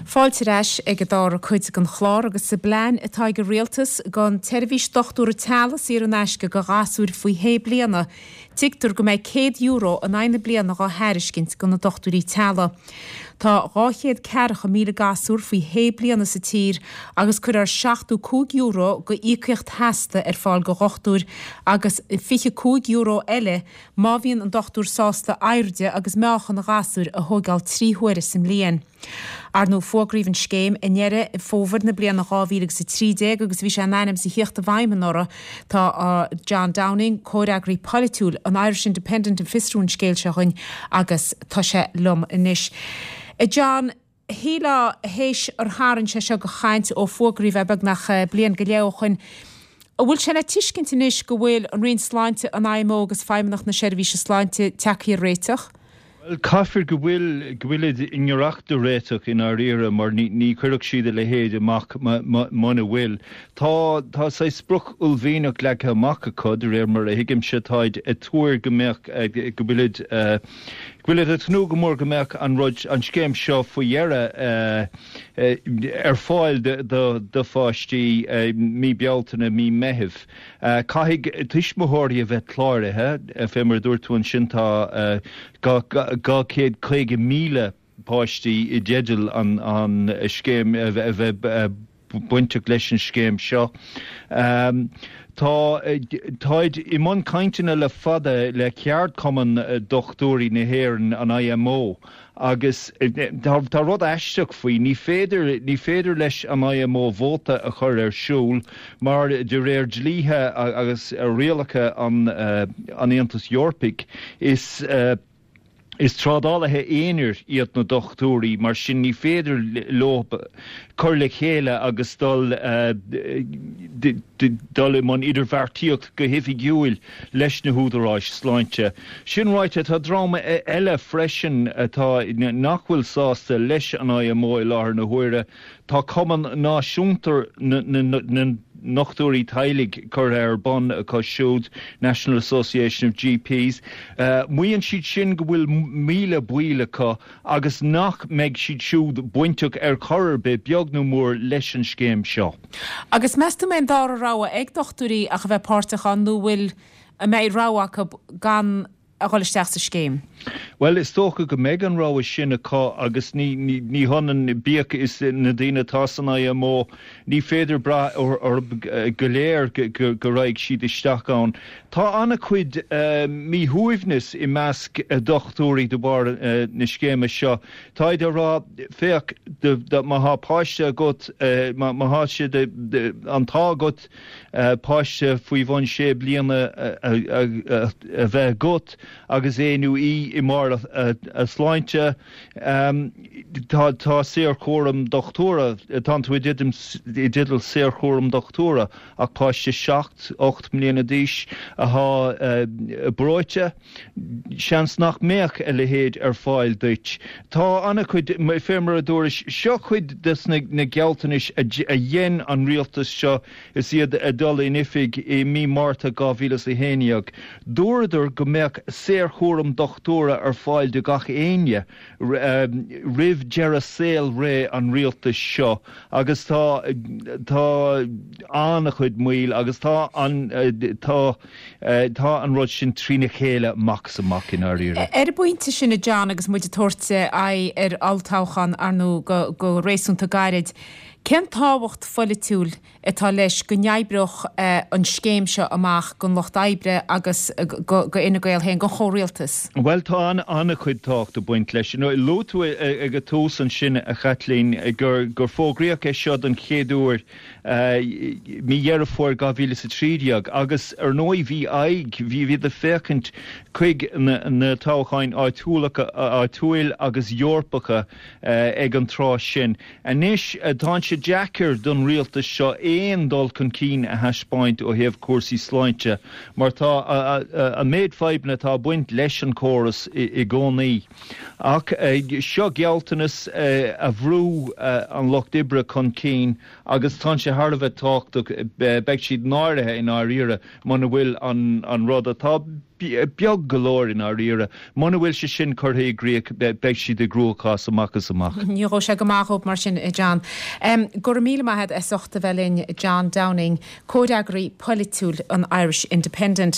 Fáilte ar ais ag an dara cuid den chlár agus sa bplean atá ag an Rialtas don tseirbhís dochtúra teaghlaigh saor in aisce do ghasúir faoi shé bliana, tuigtear go mbeidh €100 in aghaidh na bliana dhá thairiscint do na dochtúirí teaghlaigh. Tá 240,000 gasúr faoi shé bliana sa tír agus cuirfear €75 go íocaíocht sheasta ar fáil do dhochtúir agus €25 eile má bhíonn an dochtúir sásta airde agus meáchan an ghasúir a thóigeáil 3 huaire sa mbliain. Ar ndóigh, fógraíodh an scéim i nDeireadh Fómhair na bliana 2013 agus bhí sé in ainm is a thíocht i bhfeidhm anuraidh. Tá John Downing, comhfhreagraí polaitiúil an Irish Independent ag fiosrú an scéil seo dhuinn agus tá sé liom anois. A John, shílfeá théis ar tharraing sé seo de chaint ó fógraíodh é beagnach bliain go leith ó shoin, an bhfuil sé le tuiscint anois go bhfuil an Roinn Sláinte, an IMO agus Feidhmeannacht na Seirbhíse Sláinte tagtha ar réiteach? Bhuel, caithfear go bhfuil, go bhfuilid i ngiorracht do réiteach i ndáiríre mar ní, ní chuirfeadh siad a leithéid amach muna bhfuil. Tá, tá saghas sprioc uaillmhianach leagtha amach acu, de réir mar a thuigimse, táid ag tuar go mbeadh, go bhfuilid, go bhfuilid ag tnúth go mór go mbeadh an rud, an scéim seo faoi dheireadh ar fáil do, do, do pháistí mí Bealtaine, mí Meithimh. Caithfidh tuismitheoirí a bheith cláraithe, fé mar a dúirt tú ansin tá 250,000 páistí i dteideal an scéim a bheith bainteach leis an scéim seo. Tá táid i mbun cainteanna le fada le ceardchumann dochtúirí na hÉireann, an IMO, Agus tá rud aisteach faoi, ní féidir, ní féidir leis an IMO vóta a chur ar siúl mar de réir dlíthe agus rialacha an Aontais Eorpaigh is is trádálaithe aonair iad na dochtúirí, mar sin ní féidir leo cur le chéile agus dul dul i mbun idirbheartaíocht go hoifigiúil leis na húdaráis sláinte. Sin ráite, tá dream eile freisin atá nach bhfuil sásta leis an IMO i láthair na huaire. Tá Cumann Náisiúnta na nDochtúirí Teaghlaigh curtha ar bun acu siúd, National Association of GPs. Maíonn siad sin go bhfuil 1,000 baill acu agus nach mbeidh siad siúd bainteach ar chor ar bith, beag nó mór, leis an scéim seo. Agus meas tú an mbeidh an dara rogha ag dochtúirí ach a bheith páirteach ann nó bhfuil, an mbeidh rogha acu gan a dhul isteach sa scéim? Bhuel, is dócha go mbeidh an rogha sin acu agus ní, ní, ní hionann, bíodh is na daoine atá san IMO, ní féidir brath orthu go léir go raghaidh siad isteach ann. Tá an-chuid míshuaimhneas i measc dochtúirí de bharr na scéime seo. Táid ag rá, féach, má thá páiste agat, má thá sé an t-ádh agat páiste faoi bhun sé bliana a bheith agat agus é nó í i mbarr a sláinte, tá saorchúram dochtúra, tánn tú i dteideal saorchúram dochtúra ach páiste seacht, 8 mbliana d'aois athá breoite. Seans nach mbeadh a leithéid ar fáil duit. Tá an-chuid, fé mar a dúrais, seo cuid des na gealltanais a dhein an rialtas seo is iad ag dul in oifig i mí Márta 2011. Dúradar go mbeadh saorchúram dochtúra ar fáil do gach éinne roimh deireadh saolré an rialtais seo agus tá tá an-chuid moill agus tá an tá Tá an rud sin trína chéile amach is amach i ndáiríre. Ar an bpointe sin, a John, agus muid ag tabhairt aghaidh ar olltoghchán, ar ndóigh, go réasúnta gairid, cén tábhacht pholaitiúil atá leis go n-oibreodh an scéim seo amach don Lucht Oibre agus do Fhine Gael féin, don chomhrialtas? Bhuel, tá an-chuid tábhacht ag baint leis. Luaigh tú ag an tús ansin, a Chaitlín, gur fógraíodh é seo don chéad uair mí Dheireadh Fómhair 2013 agus ar ndóigh bhí aghaidh, bhí iad ag féachaint chuig na toghcháin áitiúil agus Eorpacha ag an tráth sin. Anois tá sé deacair don rialtas seo aon dul chun cinn a thaispeáint ó thaobh cúrsaí sláinte mar tá an méid fadhbanna atá. ag baint leis an córas i gcónaí. Ach seo gealltanas a bhrú an Lucht Oibre chun cinn agus tá sé thar a bheith tábhachtach, beidh siad náirithe i ndáiríre muna bhfuil an rud atá beag go leor i ndáiríre, muna bhfuil sé sin curtha i gcrích beidh siad i gcruachás amach is amach. Ní ghabhfaidh sé go maith dhóibh mar sin, a John. Go raibh míle maith agat as ucht a bheith linn, John Downing, Comhfhreagraí Polaitiúil an Irish Independent.